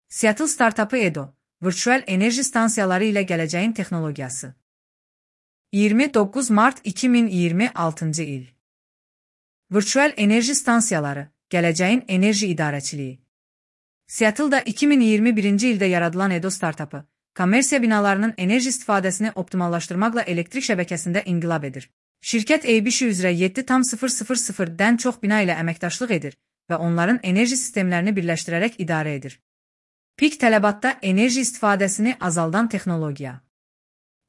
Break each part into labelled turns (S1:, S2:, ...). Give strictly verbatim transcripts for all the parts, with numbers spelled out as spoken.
S1: Seattle startapı Edo, virtual enerji stansiyaları ilə gələcəyin texnologiyası. iyirmi doqquz mart iki min iyirmi altıncı il. Virtual enerji stansiyaları, gələcəyin enerji idarəçiliyi. Seattle'da iki min iyirmi birinci ildə yaradılan Edo startapı, kommersiya binalarının enerji istifadəsini optimallaşdırmaqla elektrik şəbəkəsində inqilab edir. Şirkət A B S üzrə yeddi nöqtə dən çox bina ilə əməkdaşlıq edir və onların enerji sistemlərini birləşdirərək idarə edir. Pik tələbatda enerji istifadəsini azaldan texnologiya.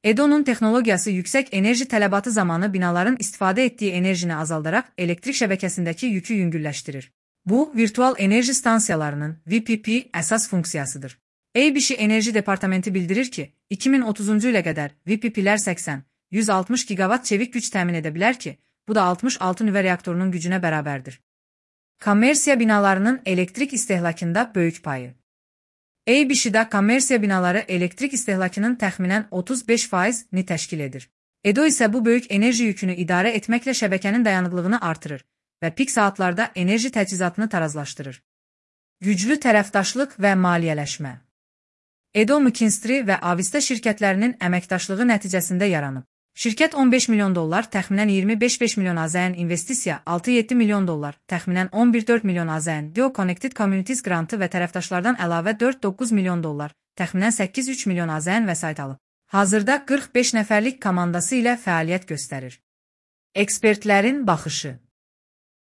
S1: Edo'nun texnologiyası yüksək enerji tələbatı zamanı binaların istifadə etdiyi enerjini azaldaraq elektrik şəbəkəsindəki yükü yüngülləşdirir. Bu, virtual enerji stansiyalarının V P P əsas funksiyasıdır. A B S Enerji Departamenti bildirir ki, iki min otuzuncu ilə qədər V P P'lər səksən yüz altmış gigavat çevik güc təmin edə bilər ki, bu da altmış altı nüvə reaktorunun gücünə bərabərdir. Kommersiya binalarının elektrik istehlakında böyük payı. A B S-də kommersiya binaları elektrik istehlakının təxminən otuz beş faizini təşkil edir. Edo isə bu böyük enerji yükünü idarə etməklə şəbəkənin dayanıqlığını artırır və pik saatlarda enerji təchizatını tarazlaşdırır. Güclü tərəfdaşlıq və maliyyələşmə. Edo McKinsey və Avista şirkətlərinin əməkdaşlığı nəticəsində yaranıb. Şirkət on beş milyon dollar, təxminən iyirmi beş milyon milyon AZN investisiya, altı yeddi milyon dollar, təxminən on bir dörd milyon AZN Dio Connected Communities grantı və tərəfdaşlardan əlavə dörd doqquz milyon dollar, təxminən səkkiz üç milyon AZN vəsait alıb. Hazırda qırx beş nəfərlik komandası ilə fəaliyyət göstərir. Ekspertlərin baxışı.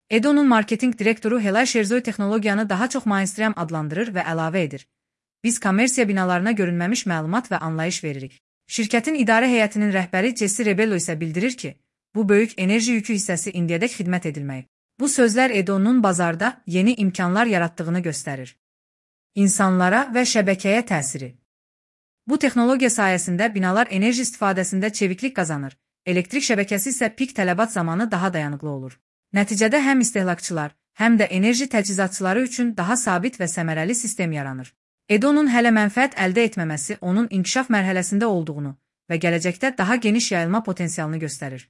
S1: Edo'nun marketinq direktoru Helay Şerzoy texnologiyanı daha çox mainstream adlandırır və əlavə edir. Biz kommersiya binalarına görünməmiş məlumat və anlayış veririk. Şirkətin idarə heyətinin rəhbəri Jesse Rebello isə bildirir ki, bu böyük enerji yükü hissəsi indiyədək xidmət edilməyib. Bu sözlər Edo'nun bazarda yeni imkanlar yaratdığını göstərir. İnsanlara və şəbəkəyə təsiri. Bu texnologiya sayəsində binalar enerji istifadəsində çeviklik qazanır, elektrik şəbəkəsi isə pik tələbat zamanı daha dayanıqlı olur. Nəticədə həm istehlakçılar, həm də enerji təchizatçıları üçün daha sabit və səmərəli sistem yaranır. Edo'nun hələ mənfəət əldə etməməsi onun inkişaf mərhələsində olduğunu və gələcəkdə daha geniş yayılma potensialını göstərir.